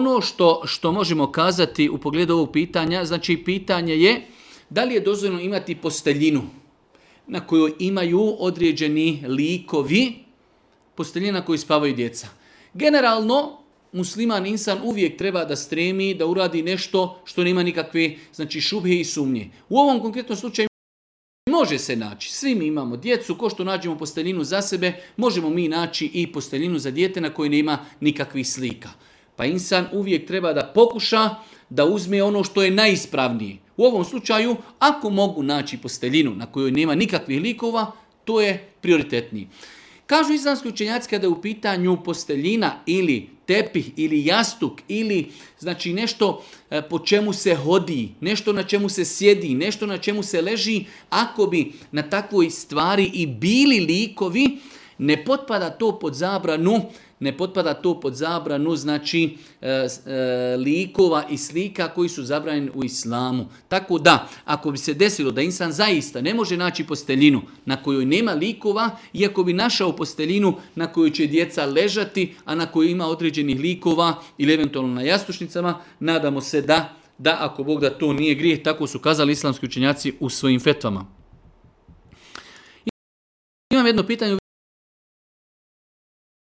ono što možemo kazati u pogledu ovog pitanja, znači pitanje je da li je dozvoljeno imati posteljinu na kojoj imaju određeni likovi, posteljina na kojoj spavaju djeca. Generalno, musliman insan uvijek treba da stremi, da uradi nešto što nema nikakve šubhe i sumnje. U ovom konkretnom slučaju može se naći. Svi mi imamo djecu, ko što nađemo posteljinu za sebe, možemo mi naći i posteljinu za dijete na kojoj nema nikakvih slika. Pa insan uvijek treba da pokuša da uzme ono što je najispravnije. U ovom slučaju, ako mogu naći posteljinu na kojoj nema nikakvih likova, to je prioritetniji. Kažu islamski učenjaci kada je u pitanju posteljina ili tepih ili jastuk ili nešto po čemu se hodi, nešto na čemu se sjedi, nešto na čemu se leži, ako bi na takvoj stvari i bili likovi, ne potpada to pod zabranu likova i slika koji su zabranjeni u islamu. Tako da, ako bi se desilo da insan zaista ne može naći posteljinu na kojoj nema likova, iako bi našao posteljinu na kojoj će djeca ležati, a na kojoj ima određenih likova ili eventualno na jastučnicama, nadamo se da ako Bog da to nije grijeh, tako su kazali islamski učenjaci u svojim fetvama. Imam jedno pitanje